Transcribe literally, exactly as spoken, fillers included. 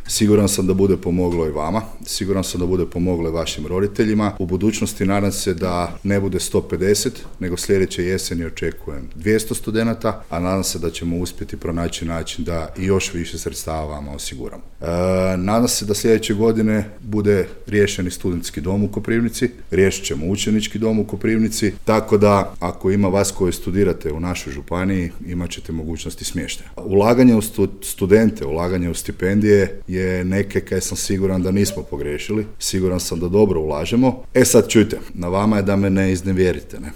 Siguran sam da bude pomoglo i vama, siguran sam da bude pomoglo i vašim roditeljima. U budućnosti nadam se da ne bude sto pedeset, nego sljedeće jeseni očekujem dvjesto studenata, a nadam se da ćemo uspjeti pronaći način da i još više sredstava vama osiguramo. E, nadam se da sljedeće godine bude riješeni studentski dom u Koprivnici, riješit ćemo učenički dom u Koprivnici, tako da ako ima vas koji studirate u našoj županiji, imat ćete mogućnosti smještaja. Ulaganje u stu, studente, ulaganje u stipendije je neke kaj sam siguran da nismo pogriješili, siguran sam da dobro ulažemo. E sad čujte, na vama je da me ne iznevjerite, ne?